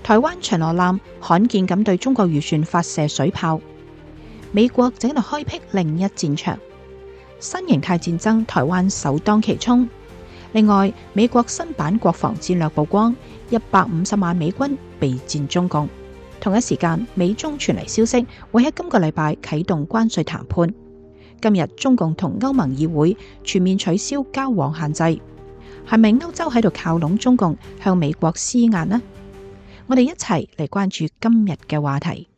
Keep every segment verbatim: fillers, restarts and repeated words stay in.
台灣巡邏艦罕見咁對中國漁船發射水炮，美國正喺度開闢另一戰場。新形態戰爭，台灣首當其衝。另外，美國新版國防戰略曝光，一百五十萬美軍備戰中共。同一時間，美中傳嚟消息，會喺今個禮拜啟動關稅談判。今日中共同歐盟議會全面取消交往限制，係咪歐洲喺度靠攏中共向美國施壓呢？我哋一齊嚟關注今日嘅話題。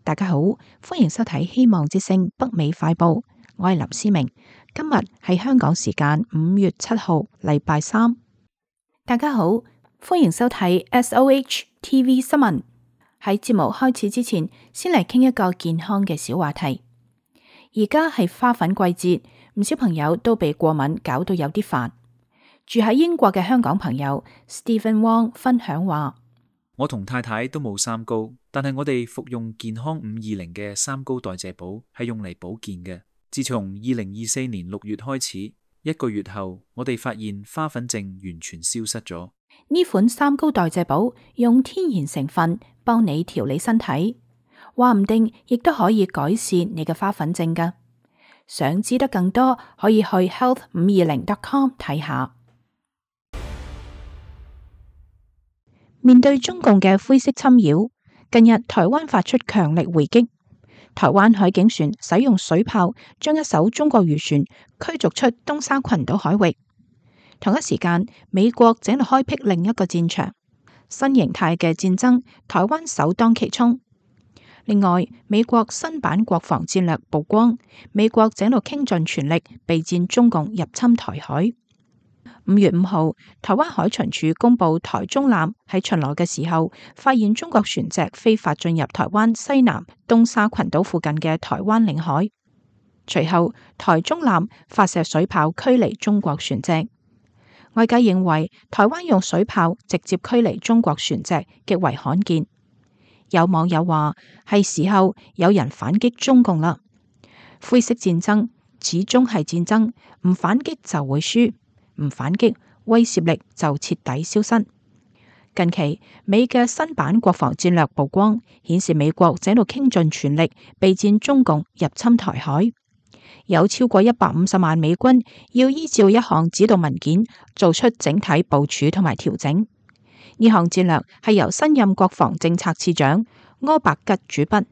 大家好，歡迎收睇《希望之聲》北美快報，我係林思明。今日係香港時間五月七號，禮拜三。大家好，歡迎收睇 S O H T V 新聞。喺節目開始之前，先嚟傾一個健康嘅小話題。而家係花粉季節，唔少朋友都被過敏搞到有啲煩。住喺英國嘅香港朋友 Stephen Wong 分享話：我同太太都冇三高，但係我哋服用健康五二零嘅三高代謝寶係用嚟保健嘅。自從二零二四年六月開始，一個月後，我哋發現花粉症完全消失咗。呢款三高代謝寶用天然成分幫你調理身體，話唔定亦都可以改善你嘅花粉症㗎。想知得更多，可以去 health 五二零 dot com 睇下。面對中共嘅灰色侵擾，近日台灣發出強力回擊。台灣海警船使用水炮將一艘中國漁船驅逐出東沙群島海域。同一時間，美國正喺度開闢另一個戰場，新形態嘅戰爭，台灣首當其衝。另外，美國新版國防戰略曝光，美國正喺度傾盡全力備戰中共入侵台海。五月五號，台灣海巡署公布台中艦喺巡邏嘅時候，發現中國船隻非法進入台灣西南東沙群島附近嘅台灣領海。隨後，台中艦發射水炮驅離中國船隻。外界認為台灣用水炮直接驅離中國船隻極為罕見。有網友話係時候有人反擊中共啦。灰色戰爭始終係戰爭，唔反擊就會輸，唔反擊威懾力就徹底消失。近期美嘅新版國防戰略曝光，顯示美國正喺度傾盡全力備戰中共入侵台海。有超過一百五十萬美軍要依照一項指導文件做出整體部署同埋調整。呢項戰略係由新任國防政策次長柯伯吉主筆。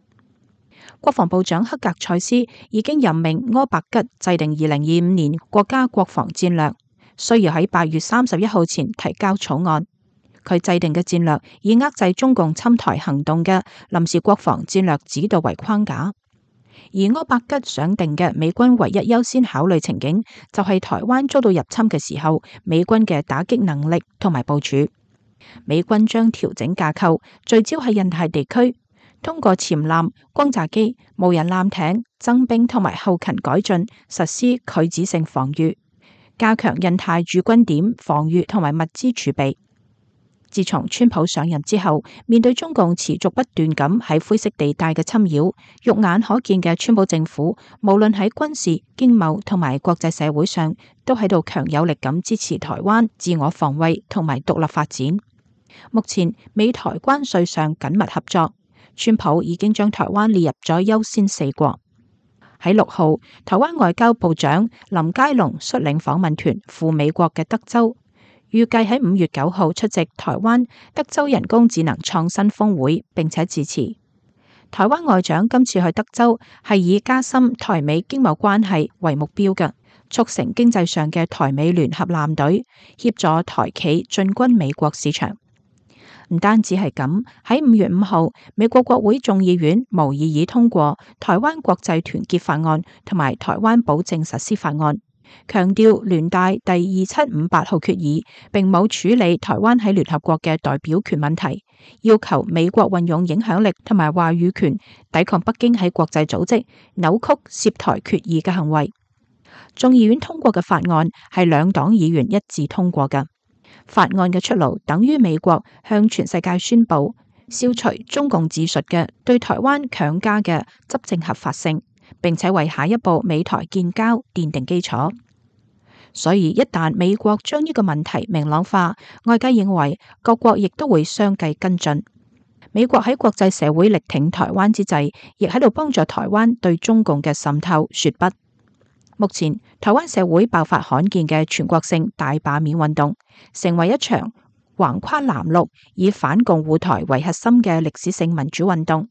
國防部長克格塞斯已經任命柯伯吉制定二零二五年國家國防戰略，需要喺八月三十一號前提交草案。佢制定嘅戰略以遏制中共侵台行動嘅臨時國防戰略指導為框架。而柯伯吉想定嘅美軍唯一優先考慮情景，就係台灣遭到入侵嘅時候，美軍嘅打擊能力同埋部署。美軍將調整架構，聚焦喺印太地區，通過潛艦、轟炸機、無人艦艇、增兵同埋後勤改進，實施拒止性防禦，加強印太駐軍點防禦同埋物資儲備。自從川普上任之後，面對中共持續不斷咁喺灰色地帶嘅侵擾，肉眼可見嘅川普政府，無論喺軍事、經貿同埋國際社會上，都喺度強有力咁支持台灣自我防衛同埋獨立發展。目前美台關稅上緊密合作，川普已經將台灣列入咗優先四國。喺六號，台灣外交部長林佳龍率領訪問團赴美國嘅德州。預計喺五月九號出席台灣德州人工智能創新峰會，並且致辭。台灣外長今次去德州係以加深台美經貿關係為目標嘅，促成經濟上嘅台美聯合艦隊，協助台企進軍美國市場。唔單止係咁，喺五月五號，美國國會眾議院無異議通過台灣國際團結法案同埋台灣保證實施法案。強調聯大第二七五八號決議並冇處理台灣喺聯合國嘅代表權問題，要求美國運用影響力同埋話語權抵抗北京喺國際組織扭曲涉台決議嘅行為。眾議院通過嘅法案係兩黨議員一致通過嘅。法案嘅出爐等於美國向全世界宣布消除中共自述嘅對台灣強加嘅執政合法性，並且為下一步美台建交奠定基礎。所以一旦美國將呢個問題明朗化，外界認為各國亦都會相繼跟進。美國喺國際社會力挺台灣之際，亦喺度幫助台灣對中共嘅滲透說不。目前台灣社會爆發罕見嘅全國性大罷免運動，成為一場橫跨藍綠以反共護台為核心嘅歷史性民主運動，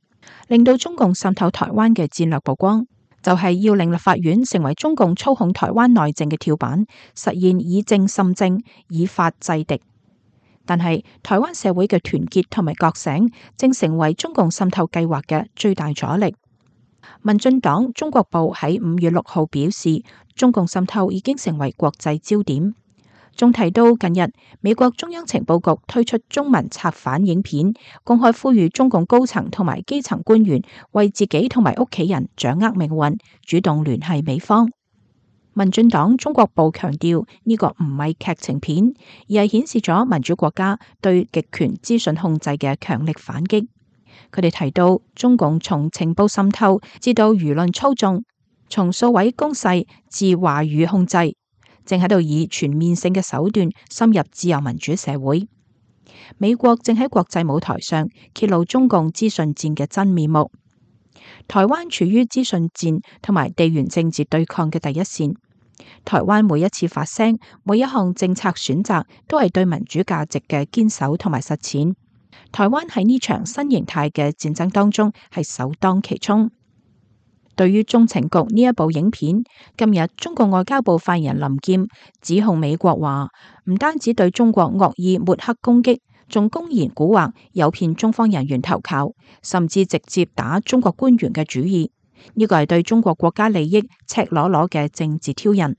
令到中共滲透台灣嘅戰略曝光，就係要令立法院成為中共操控台灣內政嘅跳板，實現以政滲政、以法制敵。但係台灣社會嘅團結同埋覺醒，正成為中共滲透計劃嘅最大阻力。民進黨中國部喺五月六號表示，中共滲透已經成為國際焦點。仲提到近日美國中央情報局推出中文策反影片，公開呼籲中共高層同埋基層官員為自己同埋屋企人掌握命運，主動聯繫美方。民進黨中國部強調呢個唔係劇情片，而係顯示咗民主國家對極權資訊控制嘅強力反擊。佢哋提到，中共從情報滲透至到輿論操縱，從數位攻勢至話語控制，正喺度以全面性嘅手段深入自由民主社會。美國正喺國際舞台上揭露中共資訊戰嘅真面目。台灣處於資訊戰同埋地緣政治對抗嘅第一線。台灣每一次發聲，每一項政策選擇，都係對民主價值嘅堅守同埋實踐。台灣喺呢場新形態嘅戰爭當中係首當其衝。對於中情局呢一部影片，今日中共外交部發言人林劍指控美國話，唔單止對中國惡意抹黑攻擊，仲公然蠱惑誘騙中方人員投靠，甚至直接打中國官員嘅主意。呢個係對中國國家利益赤裸裸嘅政治挑釁，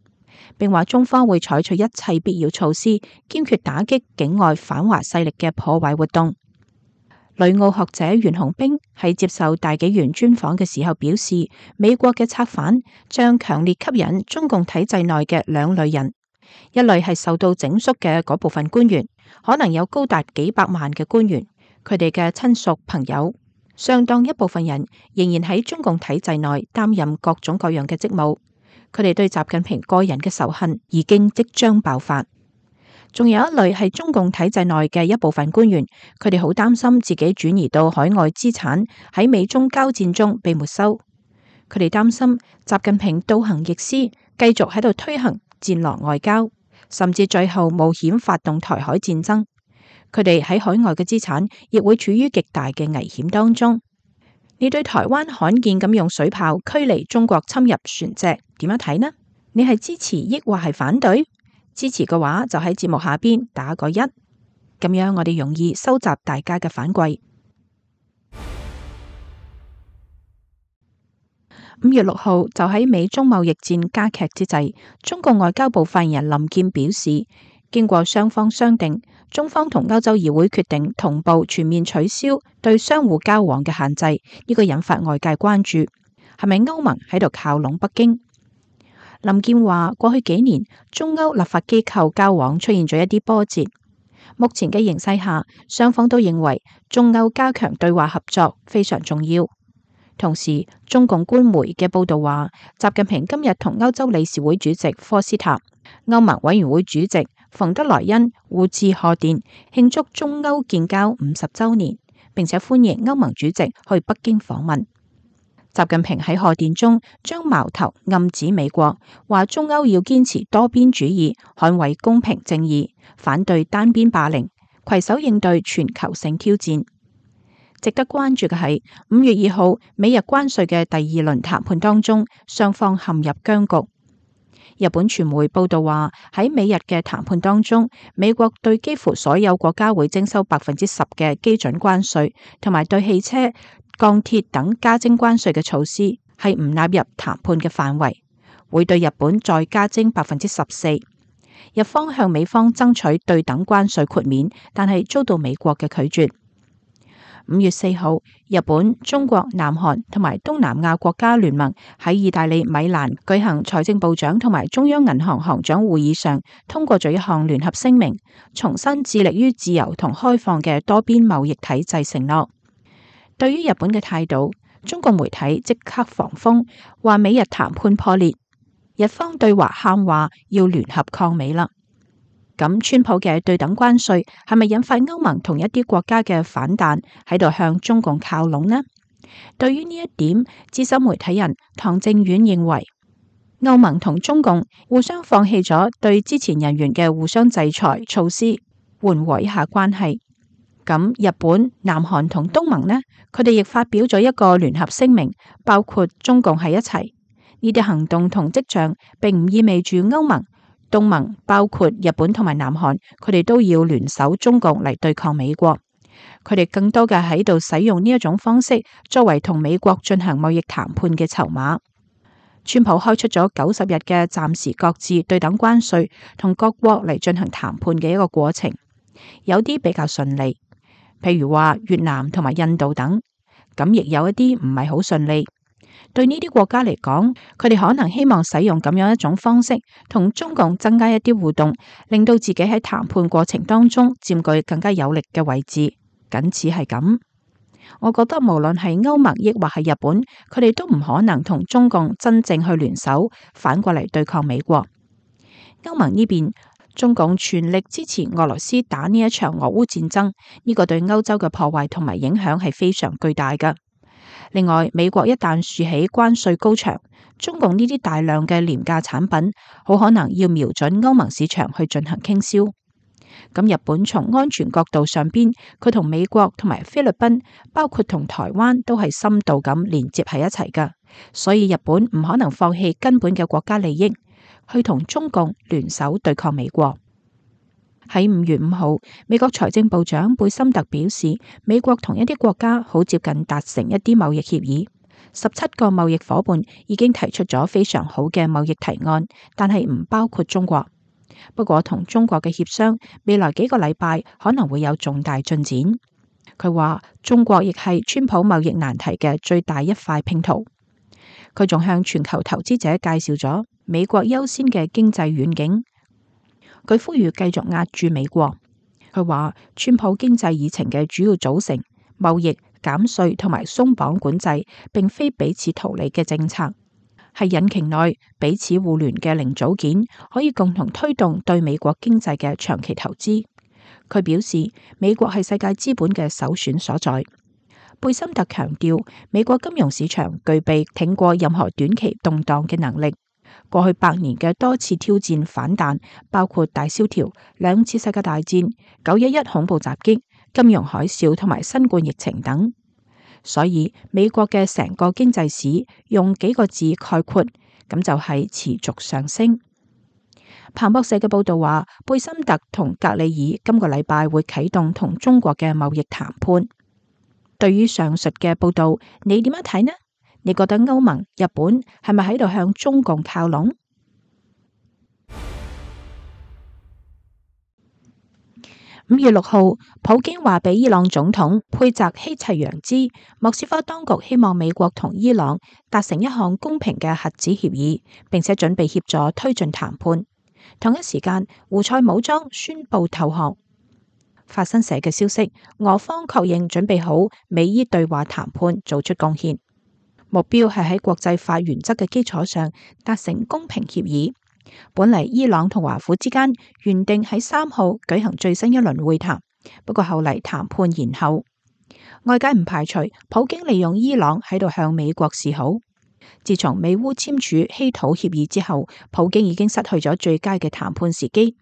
並話中方會採取一切必要措施，堅決打擊境外反華勢力嘅破壞活動。旅澳學者袁洪兵喺接受大紀元專訪嘅時候表示，美國嘅策反將強烈吸引中共體制內嘅兩類人，一類係受到整肅嘅嗰部分官員，可能有高達幾百萬嘅官員，佢哋嘅親屬朋友，相當一部分人仍然喺中共體制內擔任各種各樣嘅職務，佢哋對習近平個人嘅仇恨已經即將爆發。仲有一類係中共體制內嘅一部分官員，佢哋好擔心自己轉移到海外資產喺美中交戰中被沒收，佢哋擔心習近平倒行逆施，繼續喺度推行戰狼外交，甚至最後冒險發動台海戰爭。佢哋喺海外嘅資產亦會處於極大嘅危險當中。你對台灣罕見咁用水炮驅離中國侵入船隻點樣睇呢？你係支持抑或係反對？支持嘅話就喺節目下邊打個一，咁樣我哋容易收集大家嘅反饋。五月六號就喺美中貿易戰加劇之際，中國外交部發言人林劍表示，經過雙方商定，中方同歐洲議會決定同步全面取消對相互交往嘅限制，呢個引發外界關注，係咪歐盟喺度靠攏北京？林劍話：過去幾年，中歐立法機構交往出現咗一啲波折。目前嘅形勢下，雙方都認為中歐加強對話合作非常重要。同時，中共官媒嘅報道話，習近平今日同歐洲理事會主席科斯塔、歐盟委員會主席馮德萊恩互致賀電，慶祝中歐建交五十週年，並且歡迎歐盟主席去北京訪問。習近平喺賀電中將矛頭暗指美國，話中歐要堅持多邊主義，捍衛公平正義，反對單邊霸凌，攜手應對全球性挑戰。值得關注嘅係，五月二號美日關稅嘅第二輪談判當中，雙方陷入僵局。日本傳媒報道話，喺美日嘅談判當中，美國對幾乎所有國家會徵收百分之十嘅基準關稅，同埋對汽車、鋼鐵等加徵關稅嘅措施係唔納入談判嘅範圍，會對日本再加徵百分之十四。日方向美方爭取對等關稅豁免，但係遭到美國嘅拒絕。五月四號，日本、中國、南韓同埋東南亞國家聯盟喺意大利米蘭舉行財政部長同埋中央銀行行長會議上，通過咗一項聯合聲明，重新致力於自由同開放嘅多邊貿易體制承諾。對於日本嘅態度，中國媒體即刻防風，話美日談判破裂，日方對華喊話要聯合抗美啦。咁川普嘅對等關稅係咪引發歐盟同一啲國家嘅反彈，喺度向中共靠攏呢？對於呢一點，資深媒體人唐正遠認為，歐盟同中共互相放棄咗對之前人員嘅互相制裁措施，緩和一下關係。咁日本、南韓同東盟呢，佢哋亦發表咗一個聯合聲明，包括中共喺一齊。呢啲行動同跡象，並唔意味住歐盟、東盟包括日本同埋南韓，佢哋都要聯手中共嚟對抗美國。佢哋更多嘅喺度使用呢一種方式，作為同美國進行貿易談判嘅籌碼。川普開出咗九十日嘅暫時擱置對等關稅，同各國嚟進行談判嘅一個過程，有啲比較順利，譬如話越南同埋印度等，咁亦有一啲唔係好順利。對呢啲國家嚟講，佢哋可能希望使用咁樣一種方式，同中共增加一啲互動，令到自己喺談判過程當中佔據更加有力嘅位置。僅此係咁。我覺得無論係歐盟抑或係日本，佢哋都唔可能同中共真正去聯手，反過嚟對抗美國。歐盟呢邊，中共全力支持俄羅斯打呢一場俄烏戰爭，呢個對歐洲嘅破壞同埋影響係非常巨大㗎。另外，美國一旦豎起關稅高牆，中共呢啲大量嘅廉價產品，好可能要瞄準歐盟市場去進行傾銷。咁日本從安全角度上邊，佢同美國同埋菲律賓，包括同台灣，都係深度咁連接喺一齊㗎，所以日本唔可能放棄根本嘅國家利益，去同中共聯手對抗美國。喺五月五號，美國財政部長貝森特表示，美國同一啲國家好接近達成一啲貿易協議，十七個貿易夥伴已經提出咗非常好嘅貿易提案，但係唔包括中國。不過同中國嘅協商，未來幾個禮拜可能會有重大進展。佢話中國亦係川普貿易難題嘅最大一塊拼圖。佢仲向全球投資者介紹咗美國優先嘅經濟遠景。佢呼籲繼續壓住美國。佢話川普經濟議程嘅主要組成，貿易、減稅同埋鬆綁管制，並非彼此逃離嘅政策，係引擎內彼此互聯嘅零組件，可以共同推動對美國經濟嘅長期投資。佢表示，美國係世界資本嘅首選所在。貝森特強調，美國金融市場具備挺過任何短期動盪嘅能力。過去百年嘅多次挑戰反彈，包括大蕭條、兩次世界大戰、九一一恐怖襲擊、金融海嘯同埋新冠疫情等。所以美國嘅成個經濟史用幾個字概括，咁就係持續上升。彭博社嘅報道話，貝森特同格里爾今個禮拜會啟動同中國嘅貿易談判。對於上述嘅報道，你點樣睇呢？你覺得歐盟、日本係咪喺度向中共靠攏？五月六號，普京話俾伊朗總統佩澤希齊揚知，莫斯科當局希望美國同伊朗達成一項公平嘅核子協議，並且準備協助推進談判。同一時間，胡塞武裝宣布投降。法新社嘅消息，俄方確認準備好美伊對話談判做出貢獻。目標係喺國際法原則嘅基礎上達成公平協議。本嚟伊朗同華府之間原定喺三號舉行最新一輪會談，不過後嚟談判延後。外界唔排除普京利用伊朗喺度向美國示好。自從美烏簽署稀土協議之後，普京已經失去咗最佳嘅談判時機。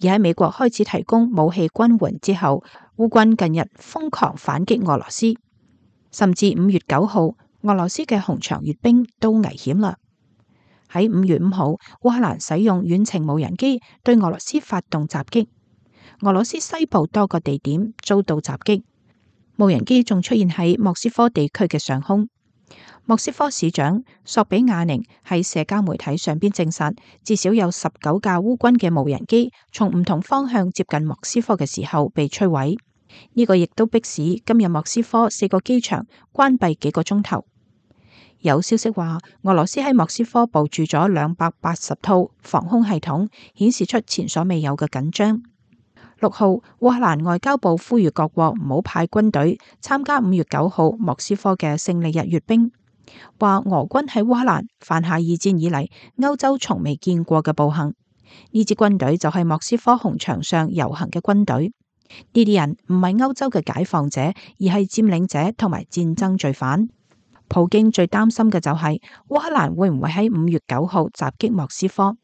而喺美國開始提供武器軍援之後，烏軍近日瘋狂反擊俄羅斯，甚至五月九號。俄羅斯嘅紅場閱兵都危險啦！喺五月五號，烏克蘭使用遠程無人機對俄羅斯發動襲擊，俄羅斯西部多個地點遭到襲擊，無人機仲出現喺莫斯科地區嘅上空。莫斯科市長索比亞寧喺社交媒體上邊證實，至少有十九架烏軍嘅無人機從唔同方向接近莫斯科嘅時候被摧毀。呢個亦都迫使今日莫斯科四個機場關閉幾個鐘頭。有消息話，俄羅斯喺莫斯科部署咗兩百八十套防空系統，顯示出前所未有嘅緊張。六號，烏克蘭外交部呼籲各國唔好派軍隊參加五月九號莫斯科嘅勝利日閱兵，話俄軍喺烏克蘭犯下二戰以嚟歐洲從未見過嘅暴行。呢支軍隊就係莫斯科紅場上遊行嘅軍隊。呢啲人唔係歐洲嘅解放者，而係佔領者同埋戰爭罪犯。普京最擔心嘅就係烏克蘭會唔會喺五月九號襲擊莫斯科。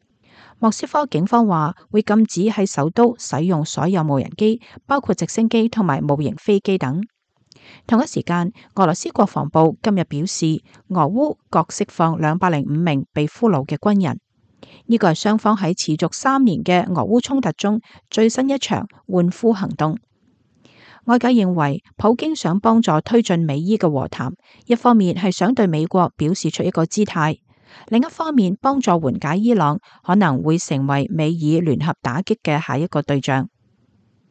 莫斯科警方話會禁止喺首都使用所有無人機，包括直升機同埋模型飛機等。同一時間，俄羅斯國防部今日表示，俄烏各釋放兩百零五名被俘虜嘅軍人。呢個係雙方喺持續三年嘅俄烏衝突中最新一場換俘行動。外界認為，普京想幫助推進美伊嘅和談，一方面係想對美國表示出一個姿態，另一方面幫助緩解伊朗可能會成為美以聯合打擊嘅下一個對象。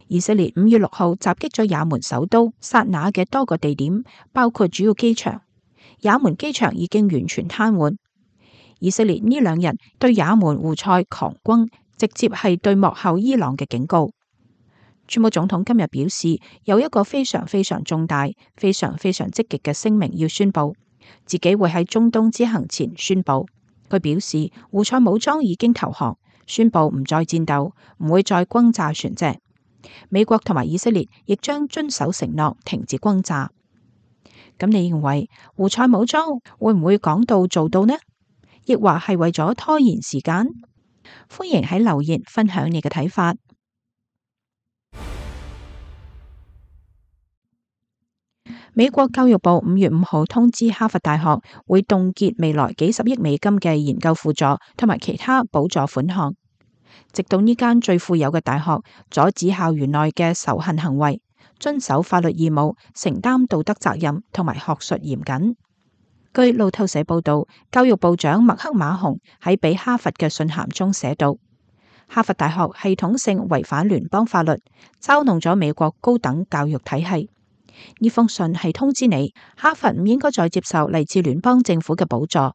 以色列五月六號襲擊咗也門首都薩那嘅多個地點，包括主要機場。也門機場已經完全癱瘓。以色列呢兩日對也門胡塞狂轟，直接係對幕後伊朗嘅警告。川普總統今日表示，有一個非常非常重大、非常非常積極嘅聲明要宣布，自己會喺中東之行前宣布。佢表示，胡塞武裝已經投降，宣布唔再戰鬥，唔會再轟炸船隻。美國同埋以色列亦將遵守承諾，停止轟炸。咁你認為胡塞武裝會唔會講到做到呢？亦或係為咗拖延時間？歡迎喺留言分享你嘅睇法。美國教育部五月五號通知哈佛大學會凍結未來幾十億美金嘅研究輔助同埋其他補助款項，直到呢間最富有嘅大學阻止校園內嘅仇恨行為，遵守法律義務，承擔道德責任同埋學術嚴謹。據路透社報道，教育部長麥克馬洪喺俾哈佛嘅信函中寫道：哈佛大學系統性違反聯邦法律，嘲弄咗美國高等教育體系。呢封信係通知你，哈佛唔應該再接受嚟自聯邦政府嘅補助，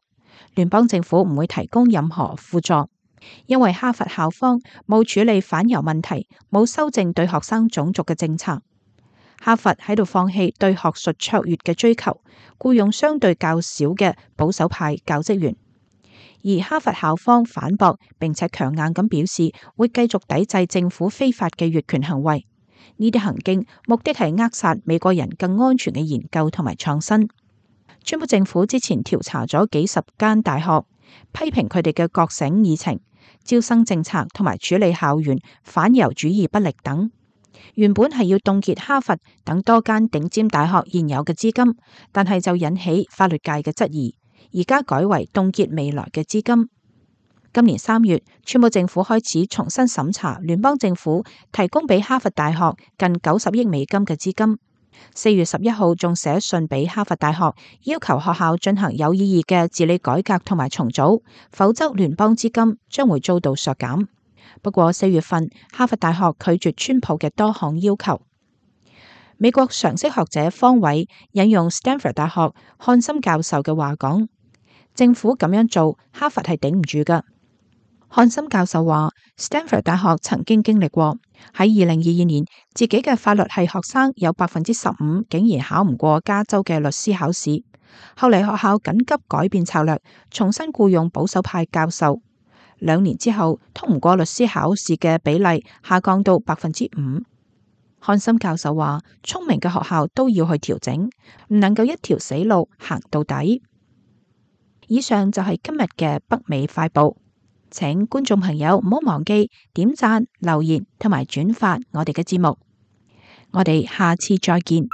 聯邦政府唔會提供任何輔助，因為哈佛校方冇處理反猶問題，冇修正對學生種族嘅政策。哈佛喺度放棄對學術卓越嘅追求，僱用相對較少嘅保守派教職員。而哈佛校方反駁，並且強硬咁表示會繼續抵制政府非法嘅越權行為。呢啲行徑目的係扼殺美國人更安全嘅研究同埋創新。川普政府之前調查咗幾十間大學，批評佢哋嘅覺醒議程、招生政策同埋處理校園反猶主義不力等。原本係要凍結哈佛等多間頂尖大學現有嘅資金，但係就引起法律界嘅質疑。而家改為凍結未來嘅資金。今年三月，川普政府開始重新審查聯邦政府提供俾哈佛大學近九十億美金嘅資金。四月十一號仲寫信俾哈佛大學，要求學校進行有意義嘅治理改革同埋重組，否則聯邦資金將會遭到削減。不過四月份，哈佛大學拒絕川普嘅多項要求。美國常識學者方偉引用 Stanford 大學漢森教授嘅話講：政府咁樣做，哈佛係頂唔住㗎。漢森教授話 Stanford 大學曾經經歷過喺二零二二年，自己嘅法律系學生有百分之十五竟然考唔過加州嘅律師考試。後嚟學校緊急改變策略，重新僱用保守派教授。兩年之後，通唔過律師考試嘅比例下降到百分之五。漢森教授話：聰明嘅學校都要去調整，唔能夠一條死路行到底。以上就係今日嘅北美快報。請觀眾朋友唔好忘記點讚、留言同埋轉發我哋嘅節目。我哋下次再見。